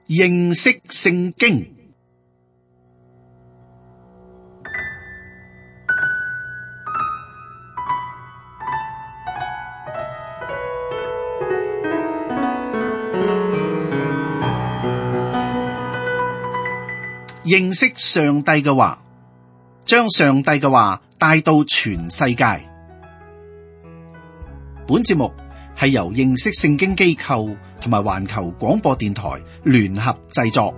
認識聖經。認識上帝嘅話，將上帝嘅話帶到全世界。本節目係由認識聖經機構同埋環球廣播電台聯合製作。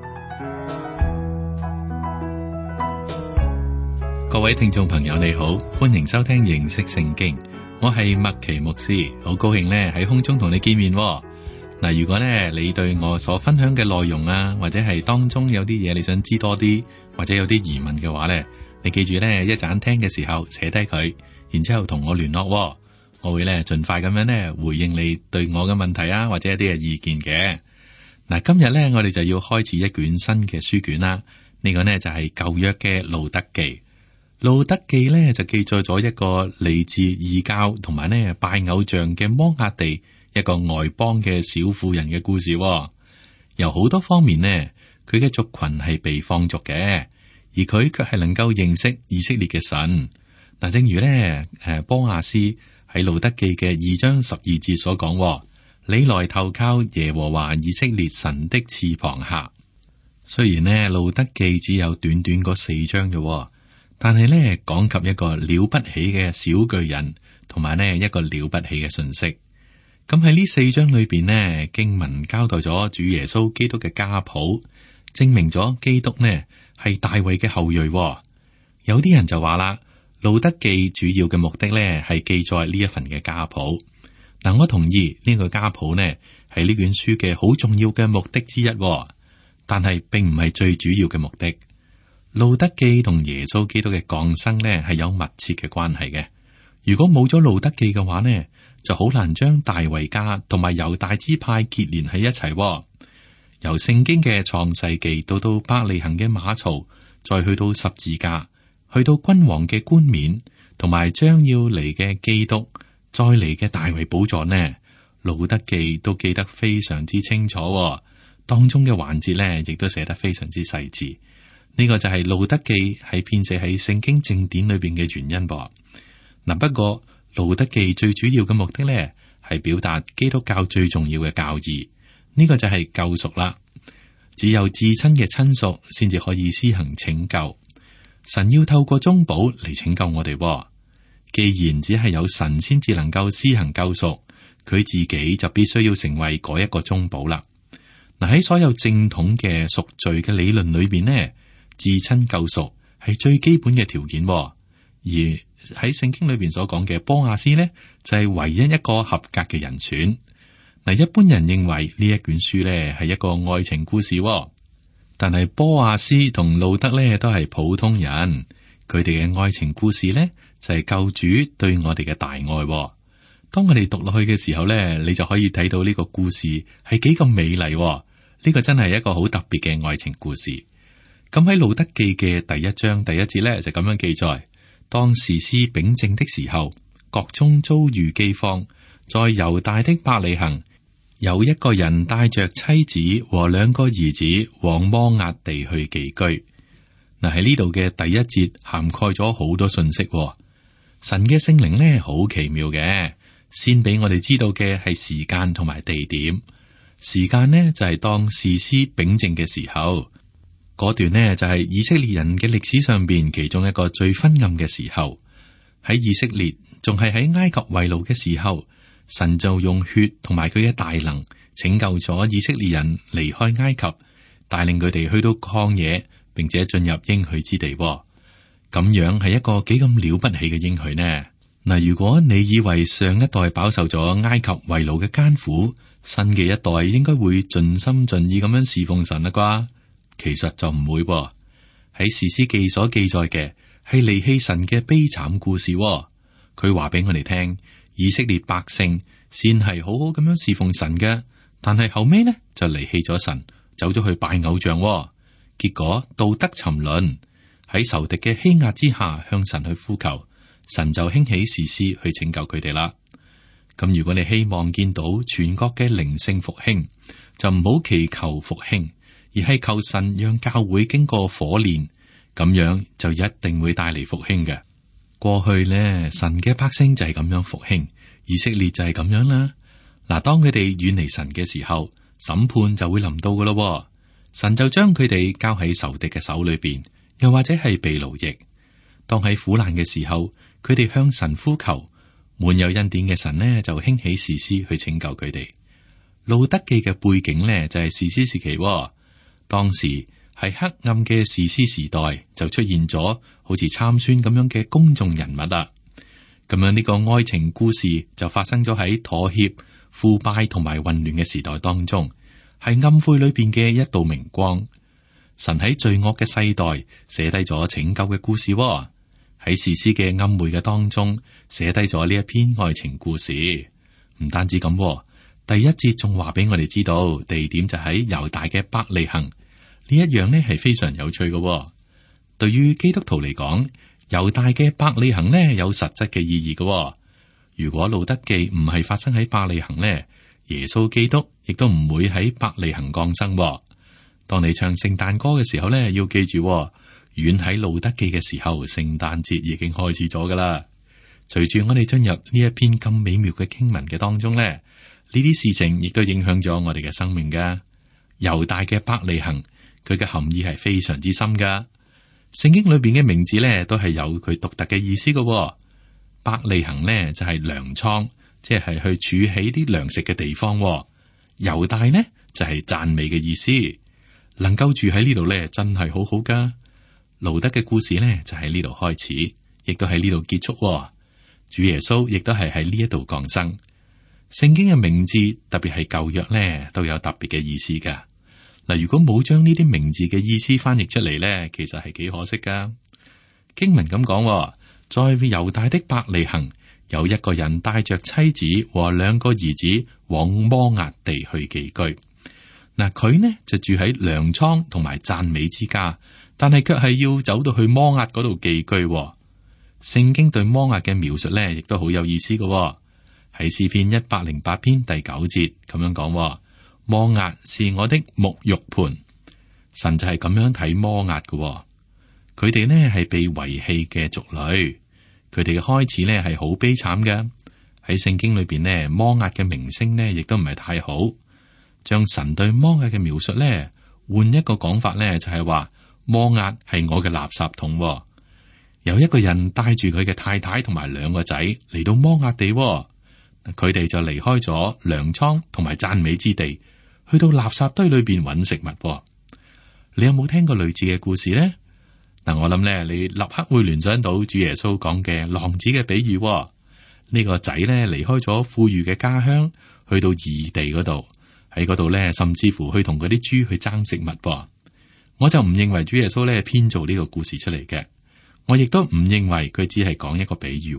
各位聽眾朋友你好，歡迎收聽認識聖經，我係麥奇牧師，好高興咧喺空中同你見面。嗱，如果咧你對我所分享嘅內容啊，或者係當中有啲嘢你想知多啲，或者有啲疑問嘅話咧，你記住咧一陣聽嘅時候寫低佢，然之後同我聯絡，我會咧盡快咁樣咧回應你對我嘅問題啊，或者一啲嘅意見嘅。嗱，今日咧我哋就要開始一卷新嘅書卷啦。呢個呢就係舊約嘅路得記。路得記咧就記載咗一個嚟自異教同埋呢拜偶像嘅摩押地一個外邦嘅小婦人嘅故事。由好多方面呢，佢嘅族群係被放逐嘅，而佢卻係能夠認識以色列嘅神。嗱，正如呢波亞斯喺路得記嘅2章12節所講，你來投靠耶和華以色列神的翅膀下。雖然呢路得記只有短短嗰4章嘅，但係呢講及一個了不起嘅小巨人，同埋呢一個了不起嘅信息。咁喺呢4章裏邊呢，經文交代咗主耶穌基督嘅家譜，證明咗基督呢係大衛嘅後裔。有啲人就話啦，路得記主要嘅目的呢係記載呢一份嘅家譜。嗱，我同意呢個家譜呢係呢卷書嘅好重要嘅目的之一，但係並唔係最主要嘅目的。路得記同耶穌基督嘅降生呢係有密切嘅關係嘅。如果冇咗路得記嘅話呢，就好難將大衛家同埋猶大支派結連喺一齊。由聖經嘅創世記到伯利恆嘅馬槽，再去到十字架，去到君王嘅冠冕，同埋將要嚟嘅基督，再嚟嘅大衛寶座呢，路得記都記得非常之清楚。當中嘅環節呢，亦都寫得非常之細緻。呢個就係路得記喺編寫喺聖經正典裏邊嘅原因噃。嗱，不過路得記最主要嘅目的呢，係表達基督教最重要嘅教義。呢個就係救贖啦。只有至親嘅親屬先至可以施行拯救。神要透過中保嚟拯救我哋。既然只係有神先至能夠施行救贖，佢自己就必須要成為嗰一個中保啦。嗱，喺所有正統嘅贖罪嘅理論裏邊呢，至親救贖係最基本嘅條件。而喺聖經裏邊所講嘅波亞斯呢，就係唯一一個合格嘅人選。嗱，一般人認為呢一卷書呢係一個愛情故事，但係波亞斯同路得呢都係普通人，佢哋嘅愛情故事呢就係救主對我哋嘅大愛。當我哋讀落去嘅時候呢，你就可以睇到呢個故事係幾咁美麗。呢個真係一個好特別嘅愛情故事。咁喺路得記嘅第1章第1節呢，就咁樣記載。當士師秉政的時候，國中遭遇饑荒，在猶大的伯利恆，有一個人帶着妻子和2個兒子往摩押地去寄居。嗱，喺呢度嘅第1節涵蓋咗好多信息。神嘅聖靈呢，好奇妙嘅，先俾我哋知道嘅係時間同埋地點。時間呢就係當士師秉政嘅時候。嗰段呢就係以色列人嘅歷史上邊其中一個最昏暗嘅時候。喺以色列仲係喺埃及為奴嘅時候，神就用血同埋佢嘅大能拯救咗以色列人離開埃及，帶領佢哋去到曠野，並且進入應許之地。咁樣係一個幾咁了不起嘅應許呢？嗱，如果你以為上一代飽受咗埃及為奴嘅艱苦，新嘅一代應該會盡心盡意咁樣侍奉神啦啩？其實就唔會喎。喺士師記所記載嘅係離棄神嘅悲慘故事喎。佢話俾我哋聽，以色列百姓先係好好咁樣侍奉神嘅，但係後尾呢就離棄咗神，走咗去拜偶像喎。結果道德沉淪，喺仇敵嘅欺壓之下向神去呼求，神就興起士師去拯救佢哋啦。咁如果你希望見到全國嘅靈性復興，就唔好祈求復興，而係求神讓教會經過火煉，咁樣就一定會帶嚟復興嘅。過去呢，神嘅百姓就係咁樣復興，以色列就係咁樣啦。嗱，當佢哋遠離神嘅時候，審判就會臨到噶咯。神就將佢哋交喺仇敵嘅手裏邊，又或者係被奴役。當喺苦難嘅時候，佢哋向神呼求，滿有恩典嘅神呢就興起士師去拯救佢哋。路得記嘅背景呢就係士師時期，當時係黑暗嘅士師時代，就出現咗好似參孫咁樣嘅公眾人物啦。咁樣呢個愛情故事就發生咗喺妥協、腐敗同埋混亂嘅時代當中，係暗晦裏邊嘅一道明光。神喺罪惡嘅世代寫低咗拯救嘅故事，喺士師嘅暗昧嘅當中寫低咗呢一篇愛情故事。唔單止咁，第一節仲話俾我哋知道地點就喺猶大嘅伯利恆。呢一樣呢係非常有趣嘅。對於基督徒嚟講，猶大嘅伯利恆呢有實質嘅意義嘅。如果路得記唔係發生喺伯利恆呢，耶穌基督亦都唔會喺伯利恆降生。當你唱聖誕歌嘅時候呢，要記住，遠喺路得記嘅時候，聖誕節已經開始咗噶啦。隨住我哋進入呢一篇咁美妙嘅經文嘅當中呢，呢啲事情亦都影響咗我哋嘅生命噶。猶大嘅伯利恆，佢嘅含義係非常之深噶。聖經裏邊嘅名字呢，都係有佢獨特嘅意思噶。伯利恆呢就係糧倉，即係去儲起啲糧食嘅地方。猶大呢就係讚美嘅意思，能夠住喺呢度呢，真係好好噶。路得嘅故事呢就喺呢度開始，亦都喺呢度結束。主耶穌亦都係喺呢一度降生。聖經嘅名字，特別係舊約呢，都有特別嘅意思噶。嗱，如果冇將呢啲名字嘅意思翻譯出嚟呢，其實係幾可惜噶。經文咁講，在猶大的伯利恆，有一個人帶着妻子和兩個兒子往摩押地去寄居。嗱，佢呢就住喺糧倉同埋讚美之家，但係卻係要走到去摩押嗰度寄居。聖經對摩押嘅描述呢，亦都好有意思嘅。喺詩篇108篇第9節咁樣講。摩押是我的沐浴盆，神就係咁樣睇摩押嘅。佢哋呢係被遺棄嘅族類，佢哋嘅開始呢係好悲慘嘅。喺聖經裏邊呢，摩押嘅名聲呢亦都唔係太好。將神對摩押嘅描述呢，換一個講法呢，就係話摩押係我嘅垃圾桶。有一個人帶住佢嘅太太同埋兩個仔嚟到摩押地，佢哋就離開咗糧倉同埋讚美之地，去到垃圾堆裏邊揾食物。你有冇聽過類似嘅故事呢？嗱，我諗咧，你立刻會聯想到主耶穌講嘅浪子嘅比喻。呢個仔咧離開咗富裕嘅家鄉，去到異地嗰度，喺嗰度咧，甚至乎去同嗰啲豬去爭食物。我就唔認為主耶穌咧編造呢個故事出嚟嘅，我亦都唔認為佢只係講一個比喻。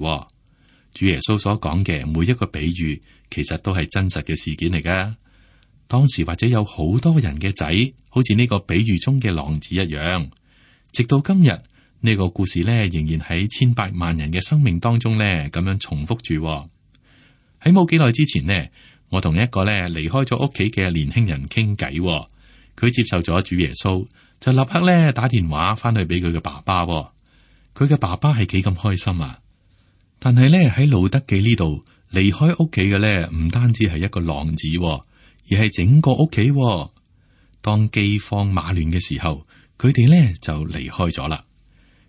主耶穌所講嘅每一個比喻，其實都係真實嘅事件嚟噶。當時或者有好多人嘅仔，好似呢個比喻中嘅浪子一樣。直到今日，呢個故事咧仍然喺千百萬人嘅生命當中咧咁樣重複住。喺冇幾耐之前呢，我同一個咧離開咗屋企嘅年輕人傾偈，佢接受咗主耶穌，就立刻咧打電話翻去俾佢嘅爸爸。佢嘅爸爸係幾咁開心啊！但係咧喺路得記呢度離開屋企嘅咧，唔單止係一個浪子，而係整個屋企。當饑荒馬亂嘅時候，佢哋咧就離開咗啦。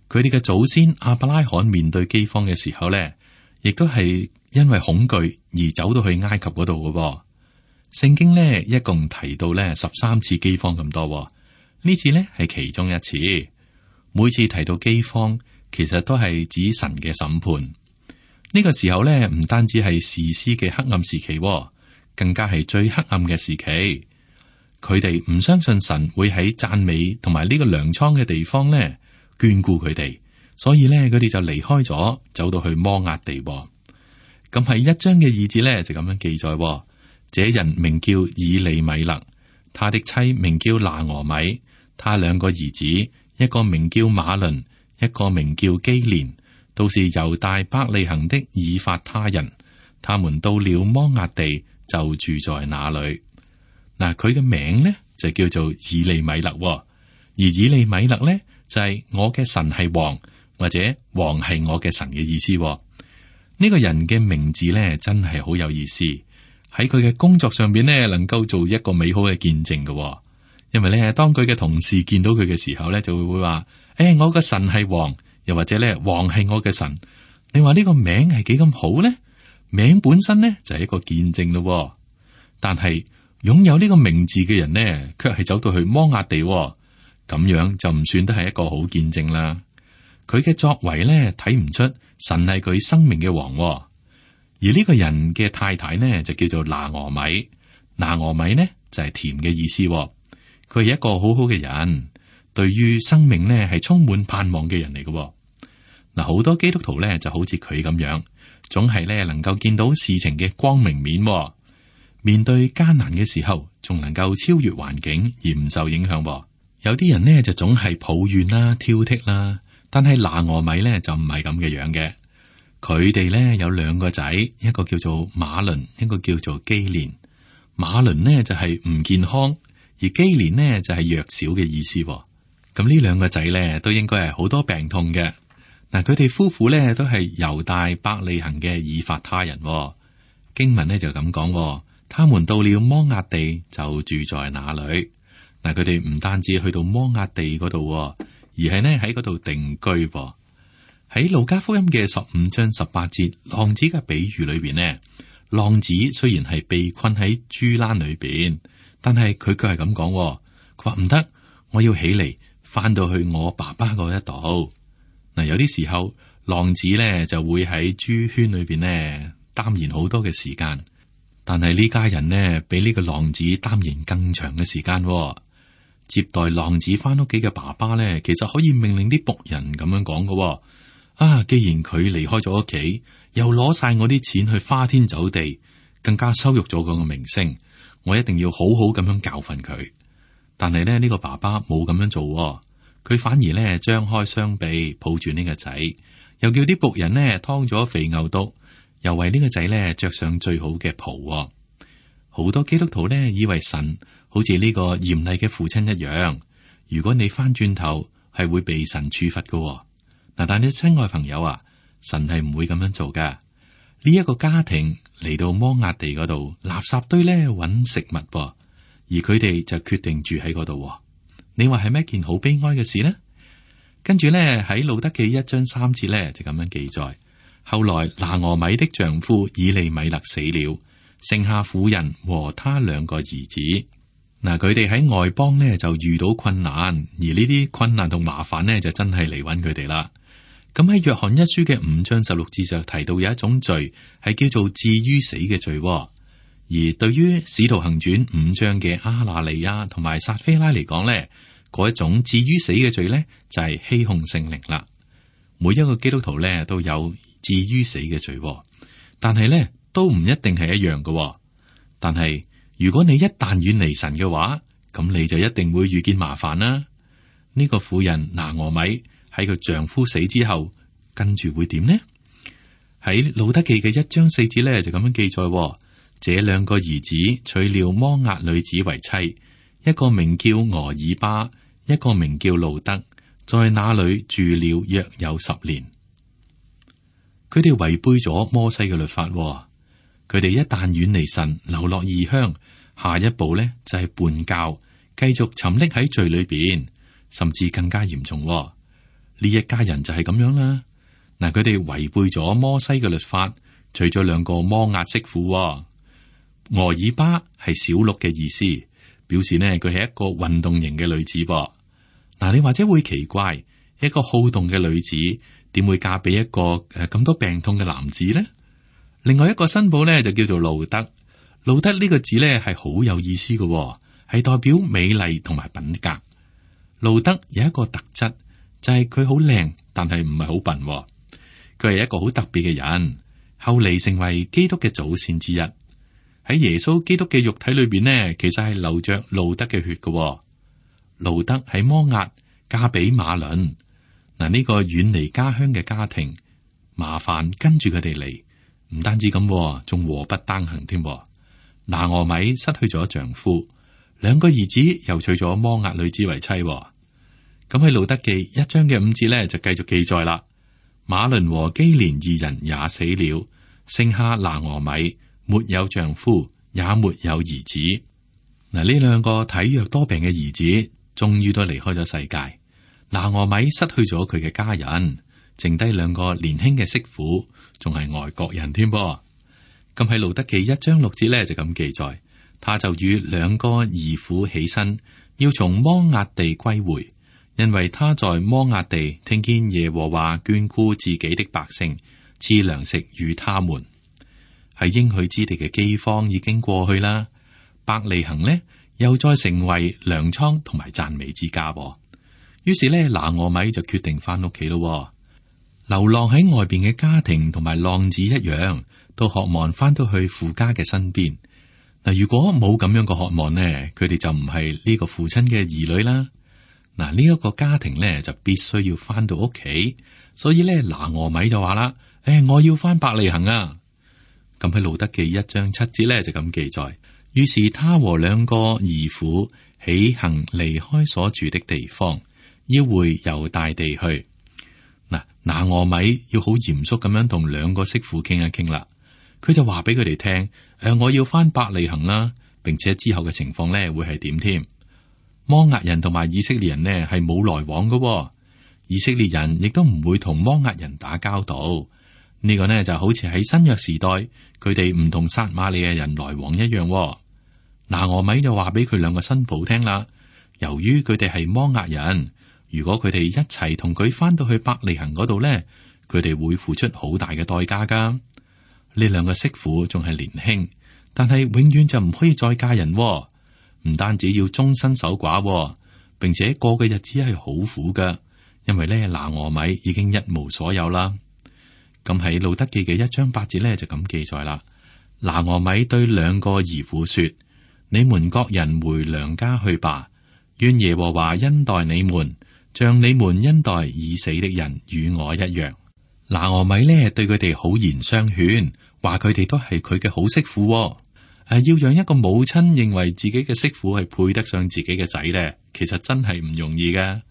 佢哋嘅祖先亞伯拉罕面對饑荒嘅時候咧，亦都係因為恐懼而走到去埃及嗰度嘅。聖經咧一共提到咧13次饑荒咁多，呢次咧係其中一次。每次提到饑荒，其實都係指神嘅審判。呢個時候咧，唔單止係士師嘅黑暗時期，更加係最黑暗嘅時期。佢哋唔相信神會喺讚美同埋呢個糧倉嘅地方咧眷顧佢哋，所以咧佢哋就離開咗，走到去摩押地。咁喺1章嘅2節咧就咁樣記載：這人名叫以利米勒，他的妻名叫拿俄米，他兩個兒子，一個名叫馬倫，一個名叫基連，都是猶大伯利恆的以法他人。他們到了摩押地，就住在那裏。嗱，佢嘅名呢就叫做以利米勒，而以利米勒咧就係我嘅神係王，或者王係我嘅神嘅意思。呢個人嘅名字咧真係好有意思，喺佢嘅工作上邊咧能夠做一個美好嘅見證嘅。因為咧當佢嘅同事見到佢嘅時候咧，就會話：我嘅神係王，又或者咧王係我嘅神。你話呢個名係幾咁好咧？名本身咧就係一個見證咯。但係擁有呢個名字嘅人呢，卻係走到去摩押地，咁樣就唔算得係一個好見證啦。佢嘅作為咧睇唔出神係佢生命嘅王，而呢個人嘅太太呢就叫做拿俄米。拿俄米呢就係甜嘅意思，佢係一個好好嘅人，對於生命呢係充滿盼望嘅人嚟嘅。嗱，好多基督徒咧就好似佢咁樣，總係咧能夠見到事情嘅光明面，面對艱難嘅時候，仲能夠超越環境而唔受影響。有啲人呢就總係抱怨啦、挑剔啦，但係拿俄米咧就唔係咁嘅樣嘅。佢哋咧有兩個仔，一個叫做馬倫，一個叫做基連。馬倫呢就係唔健康，而基連呢就係弱小嘅意思。咁呢兩個仔咧都應該係好多病痛嘅。嗱，佢哋夫婦咧都係猶大伯利恆嘅以法他人。經文咧就咁講，他們到了摩押地就住在那裏。嗱，佢哋唔單止去到摩押地嗰度，而係呢喺嗰度定居。喺路加福音嘅15章18節浪子嘅比喻裏邊呢，浪子雖然係被困喺豬欄裏邊，但係佢卻係咁講，佢話唔得，我要起嚟翻到去我爸爸嗰一度。嗱，有啲時候浪子咧就會喺豬圈裏邊呢耽延好多嘅時間，但係呢家人呢比呢個浪子耽延更長嘅時間。接待浪子翻屋企嘅爸爸咧，其實可以命令啲僕人咁樣講嘅。既然佢離開咗屋企，又攞晒我啲錢去花天酒地，更加羞辱咗佢個名聲，我一定要好好咁樣教訓佢。但係咧呢個爸爸冇咁樣做，佢反而咧張開雙臂抱住呢個仔，又叫啲僕人呢劏咗肥牛犢，又為呢個仔咧着上最好嘅袍。好多基督徒呢以為神好似呢個嚴厲嘅父親一樣，如果你翻轉頭係會被神處罰嘅。嗱，但係親愛朋友啊，神係唔會咁樣做噶。呢一個家庭嚟到摩押地嗰度垃圾堆咧揾食物，而佢哋就決定住喺嗰度。你話係咩一件好悲哀嘅事呢？跟住咧喺路得記1章3節咧就咁樣記載：後來拿俄米的丈夫以利米勒死了，剩下婦人和他2個兒子。嗱，佢哋喺外邦呢就遇到困難，而呢啲困難同麻煩呢就真係嚟揾佢哋啦。咁喺約翰一書嘅5章16節就提到有一種罪係叫做至於死嘅罪，而對於使徒行傳5章嘅阿拿尼亞同埋撒非拉嚟講呢，嗰一種至於死嘅罪呢就係欺哄聖靈啦。每一個基督徒呢都有至於死嘅罪，但係呢都唔一定係一樣嘅。但係如果你一旦遠離神嘅話，咁你就一定會遇見麻煩啦。呢個婦人拿俄米喺佢丈夫死之後，跟住會點呢？喺路得記嘅1章4節咧就咁樣記載：這2個兒子娶了摩押女子為妻，一個名叫俄爾巴，一個名叫路得，在那裏住了約有10年。佢哋違背咗摩西嘅律法，佢哋一旦遠離神，流落異鄉，下一步呢就係叛教，繼續沉溺喺罪裏邊，甚至更加嚴重。呢一家人就係咁樣啦。嗱，佢哋違背咗摩西嘅律法，娶咗2個摩押媳婦。俄爾巴係小鹿嘅意思，表示呢佢係一個運動型嘅女子。嗱，你或者會奇怪，一個好動嘅女子點會嫁俾一個咁多病痛嘅男子呢？另外一個新婦呢就叫做路得。路得呢個字呢係好有意思嘅，係代表美麗同埋品格。路得有一個特質，就係佢好靚，但係唔係好笨。佢係一個好特別嘅人，後嚟成為基督嘅祖先之一。喺耶穌基督嘅肉體裏邊呢，其實係流着路得嘅血嘅。路得喺摩押嫁俾馬倫。嗱，呢個遠離家鄉嘅家庭，麻煩跟住佢哋嚟，唔單止咁，仲禍不單行添。拿俄米失去咗丈夫，兩個兒子又娶咗摩押女子為妻。咁喺路得記1章嘅5節咧就繼續記載啦。馬倫和基連二人也死了，剩下拿俄米，沒有丈夫，也沒有兒子。嗱，呢兩個體弱多病嘅兒子，終於都離開咗世界。拿俄米失去咗佢嘅家人，剩低兩個年輕嘅媳婦，仲係外國人添噃。咁喺路得記1章6節咧就咁記載，他就與兩個兒婦起身，要從摩押地歸回，因為他在摩押地聽見耶和華眷顧自己的百姓，賜糧食與他們。喺應許之地嘅饑荒已經過去啦，伯利恆呢又再成為糧倉同埋讚美之家。於是呢，拿俄米就決定翻屋企咯。流浪喺外邊嘅家庭同埋浪子一樣，都渴望翻到去父家嘅身邊。嗱，如果冇咁樣嘅渴望呢，佢哋就唔係呢個父親嘅兒女啦。嗱，呢一個家庭呢就必須要翻到屋企，所以呢，拿俄米就話啦：我要翻伯利恆啊！咁喺路得記1章7節呢就咁記載，於是他和兩個兒婦起行離開所住的地方，要回猶大地去。嗱，拿俄米要好嚴肅咁樣同兩個媳婦傾一傾啦。佢就話俾佢哋聽：我要翻伯利恆啦，並且之後嘅情況呢會係點添？摩押人同埋以色列人呢係冇來往嘅，以色列人亦都唔會同摩押人打交道。呢個呢就好似喺新約時代，佢哋唔同撒瑪利亞人來往一樣。拿俄米就話俾佢兩個新抱聽啦，由於佢哋係摩押人，如果佢哋一齊同佢翻到去伯利恆嗰度呢，佢哋會付出好大嘅代價噶。呢兩個媳婦仲係年輕，但係永遠就唔可以再嫁人，唔單止要終身守寡，並且過嘅日子係好苦噶，因為呢，拿俄米已經一無所有啦。咁喺路得記嘅1章8節呢，就咁記載啦。拿俄米對兩個兒婦說：你們各人回娘家去吧，願耶和華恩待你們，像你們恩待已死的人與我一樣。拿俄米呢對佢哋好言相勸，話佢哋都係佢嘅好媳婦。要讓一個母親認為自己嘅媳婦係配得上自己嘅仔呢，其實真係唔容易噶。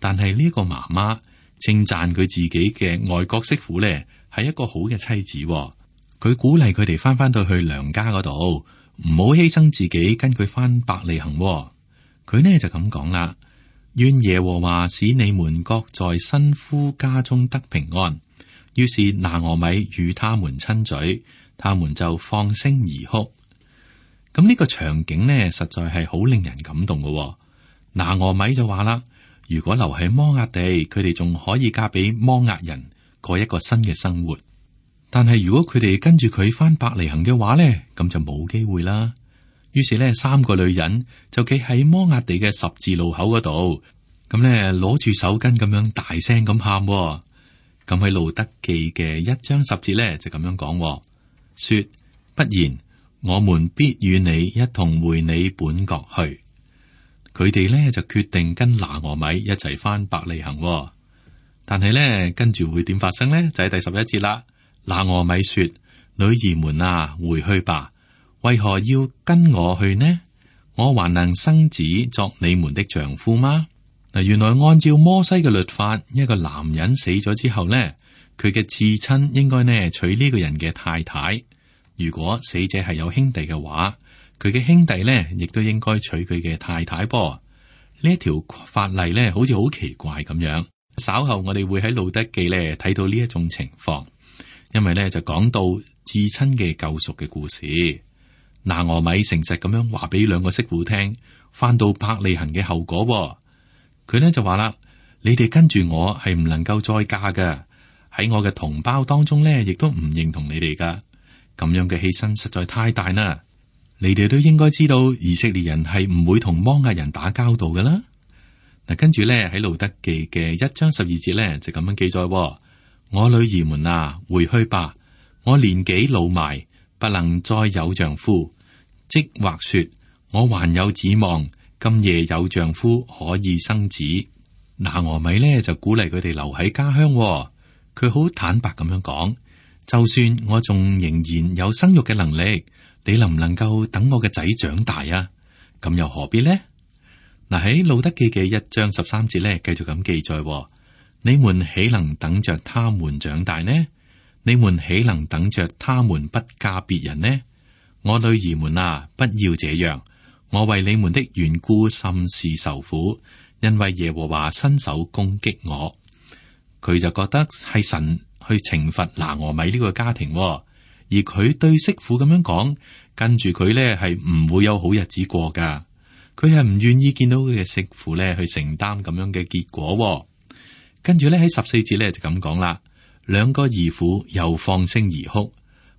但係呢個媽媽稱讚佢自己嘅外國媳婦呢係一個好嘅妻子。佢鼓勵佢哋翻到去娘家嗰度，唔好犧牲自己跟佢翻伯利恆。佢呢就咁講啦：願耶和華使你們各在新夫家中得平安。於是拿俄米與他們親嘴，他們就放聲而哭。咁呢個場景呢，實在係好令人感動嘅。拿俄米就話啦：如果留喺摩押地，佢哋仲可以嫁俾摩押人，過一個新嘅生活。但係如果佢哋跟住佢翻伯利恆嘅話呢，咁就冇機會啦。於是呢，3個女人就企喺摩押地嘅十字路口嗰度，咁呢攞住手巾咁樣大聲咁喊。咁喺路得記嘅1章10節呢，就咁樣講，說：不然，我們必與你一同回你本國去。佢哋呢就決定跟拿俄米一齊翻伯利恆。但係呢，跟住會點發生呢？就喺第11節啦。拿俄米說：女兒們啊，回去吧。為何要跟我去呢？我還能生子作你們的丈夫嗎？嗱，原來按照摩西嘅律法，一個男人死咗之後呢，佢嘅次親應該呢娶呢個人嘅太太。如果死者係有兄弟嘅話，佢嘅兄弟呢亦都應該娶佢嘅太太噃。呢一條法例呢，好似好奇怪咁樣。稍後我哋會喺路得記呢睇到呢一種情況，因為呢就講到至親嘅救贖嘅故事。拿俄米誠實咁樣話俾兩個媳婦聽，翻到伯利恆嘅後果。佢呢就話啦：你哋跟住我係唔能夠再嫁㗎，喺我嘅同胞當中呢，亦都唔認同你哋噶。咁樣嘅犧牲實在太大啦。你哋都應該知道，以色列人係唔會同摩押人打交道噶啦。嗱，跟住咧喺路得記嘅1章12節咧就咁樣記載：我女兒們啊，回去吧，我年紀老邁，不能再有丈夫，即或說我還有指望，今夜有丈夫可以生子。拿俄米咧就鼓勵佢哋留喺家鄉，佢好坦白咁樣講：就算我仲仍然有生育嘅能力，你能唔能夠等我嘅仔長大啊？咁又何必呢？嗱，喺路得記嘅1章13節咧，繼續咁記載：你們豈能等着他們長大呢？你們豈能等着他們不嫁別人呢？我女兒們啊，不要這樣。我為你們的緣故甚是受苦，因為耶和華伸手攻擊我。佢就覺得係神去懲罰拿俄米呢個家庭，而佢對媳婦咁樣講，跟住佢呢係唔會有好日子過噶。佢係唔願意見到佢嘅媳婦呢去承擔咁樣嘅結果。跟住呢喺14節呢就咁講啦，兩個兒婦又放聲而哭，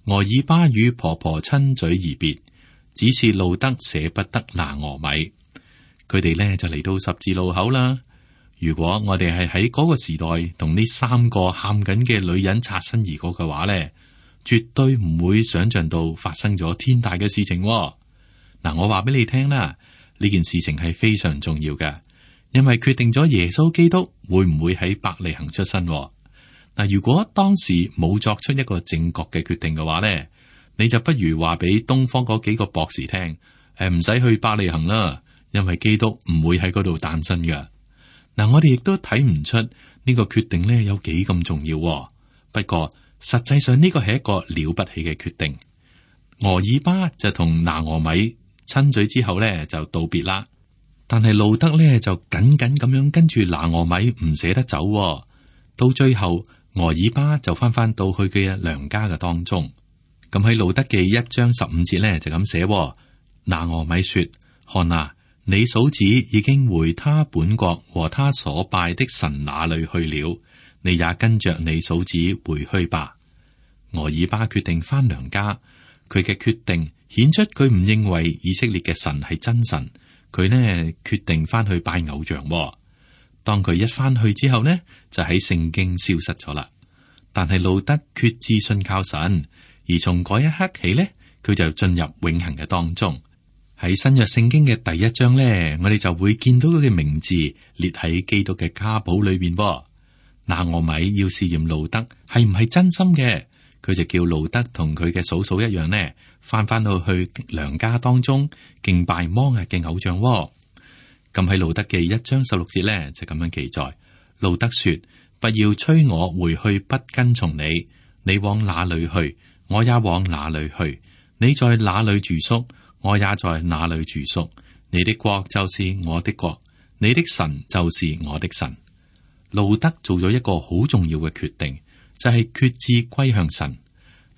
俄珥巴與婆婆親嘴而別，只是路得捨不得拿俄米。佢哋呢就嚟到十字路口啦。如果我哋係喺嗰個時代同呢3個喊緊嘅女人擦身而過嘅話呢，絕對唔會想象到發生咗天大嘅事情。嗱，我話俾你聽啦，呢件事情係非常重要嘅，因為決定咗耶穌基督會唔會喺伯利恆出生。嗱，如果當時冇作出一個正確嘅決定嘅話呢，你就不如話俾東方嗰幾個博士聽，唔使去伯利恆啦，因為基督唔會喺嗰度誕生嘅。嗱，我哋亦都睇唔出呢個決定呢有幾咁重要。不過實際上呢個係一個了不起嘅決定。俄珥巴就同拿俄米親嘴之後呢就道別啦，但係路得呢就緊緊咁樣跟住拿俄米唔捨得走。到最後俄珥巴就翻到去佢嘅娘家嘅當中。咁喺路得記1章15節呢就咁寫：拿俄米說，看啊，你嫂子已經回他本國和他所拜的神那裏去了，你也跟着你嫂子回去吧。俄珥巴決定翻娘家，佢嘅決定顯出佢唔認為以色列嘅神係真神，佢呢決定翻去拜偶像。當佢一翻去之後呢，就喺聖經消失咗啦。但係路得決志信靠神，而從嗰一刻起呢，佢就進入永恆嘅當中。喺新約聖經嘅第1章呢，我哋就會見到佢嘅名字列喺基督嘅家譜裏邊。拿俄米要試驗路得係唔係真心嘅，佢就叫路得同佢嘅嫂嫂一樣呢，翻到去娘家當中敬拜摩押嘅偶像。咁喺路得記1章16節呢，就咁樣記載：路得說，不要催我回去不跟從你，你往哪裏去，我也往哪裏去；你在哪裏住宿，我也在哪裏住宿。你的國就是我的國，你的神就是我的神。路得做咗一個好重要嘅決定，就係決志歸向神。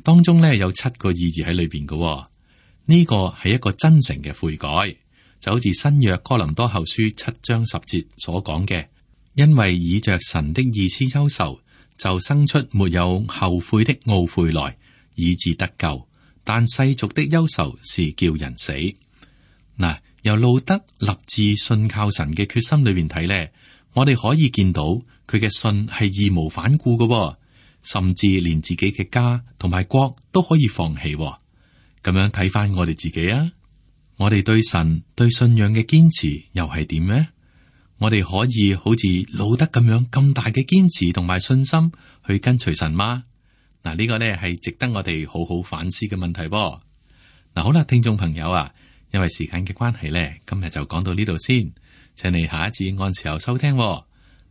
當中呢有7個意義喺裏邊嘅。呢個係一個真誠嘅悔改，就好似新約哥林多後書7章10節所講嘅，因為以着神的意思憂愁，就生出沒有後悔的懊悔來，以致得救。但世俗的憂愁是叫人死。嗱，由路得立志信靠神嘅決心裏邊睇呢，我哋可以見到佢嘅信係義無反顧嘅，甚至連自己嘅家同埋國都可以放棄。咁樣睇翻我哋自己啊，我哋對神對信仰嘅堅持又係點呢？我哋可以好似路得咁樣咁大嘅堅持同埋信心去跟隨神嗎？嗱，呢個呢係值得我哋好好反思嘅問題噃。嗱，好啦，聽眾朋友啊，因為時間嘅關係呢，今日就講到呢度先，請你下一次按時候收聽。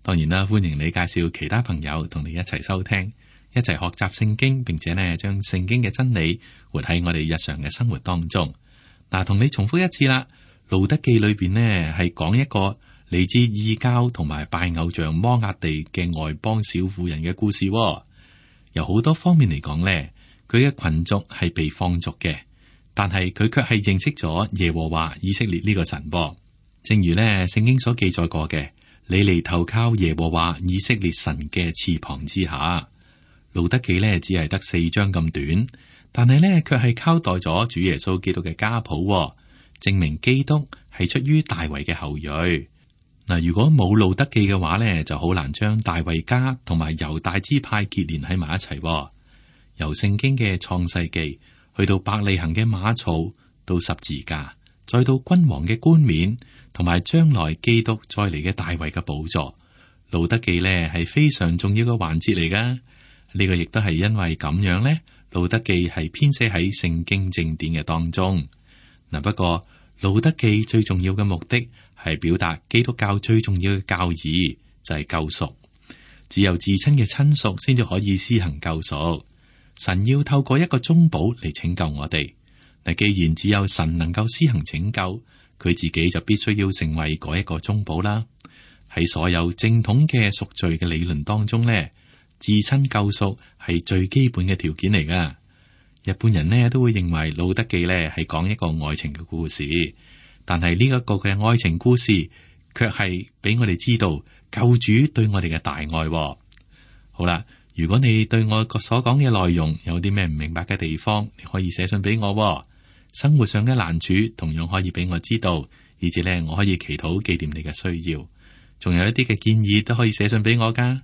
當然啦，歡迎你介紹其他朋友同你一齊收聽，一齊學習聖經，並且呢將聖經嘅真理活喺我哋日常嘅生活當中。嗱，同你重複一次啦，路得記裏邊呢係講一個嚟自異教同埋拜偶像摩押地嘅外邦小婦人嘅故事。由好多方面嚟講呢，佢嘅群族係被放逐嘅，但係佢卻係認識咗耶和華以色列呢個神噃。正如呢聖經所記載過嘅，你嚟投靠耶和華以色列神嘅翅膀之下。路得記呢只係得4章咁短，但係呢卻係交代咗主耶穌基督嘅家譜，證明基督係出於大衛嘅後裔。嗱，如果冇路得記嘅話呢，就好難將大衛家同埋猶大支派結連喺埋一齊。由聖經嘅創世記去到伯利恆嘅馬槽，到十字架，再到君王嘅冠冕，同埋將來基督再嚟嘅大衛嘅寶座，路得記呢係非常重要嘅環節嚟噶。呢個亦都係因為咁樣呢，路得記係編寫喺聖經正典嘅當中。嗱，不過路德記最重要嘅目的係表達基督教最重要嘅教義，就係救贖。只有至親嘅親屬先至可以施行救贖。神要透過一個中保嚟拯救我哋。嗱，既然只有神能夠施行拯救，佢自己就必須要成為嗰一個中保啦。喺所有正統嘅贖罪嘅理論當中呢，至親救贖係最基本嘅條件嚟噶。日本人呢都會認為《路德記》呢係講一個愛情嘅故事，但係呢一個嘅愛情故事，卻係俾我哋知道救主對我哋嘅大愛。好啦，如果你對我所講嘅內容有啲咩唔明白嘅地方，你可以寫信俾我。生活上嘅難處同樣可以俾我知道，以至呢我可以祈禱紀念你嘅需要。仲有一啲嘅建議都可以寫信俾我噶。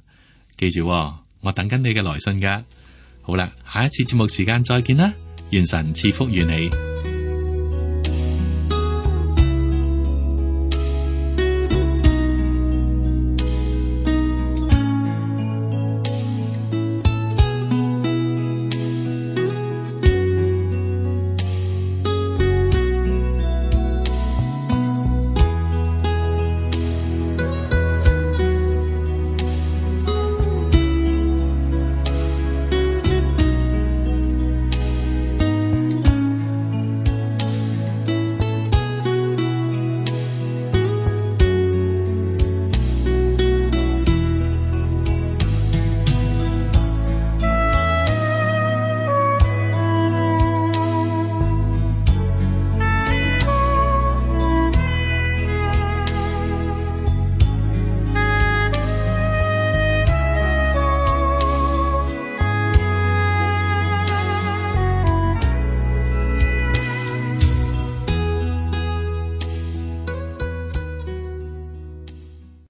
記住，我等緊你嘅來信噶。好啦，下一次節目時間再見啦，願神賜福於你。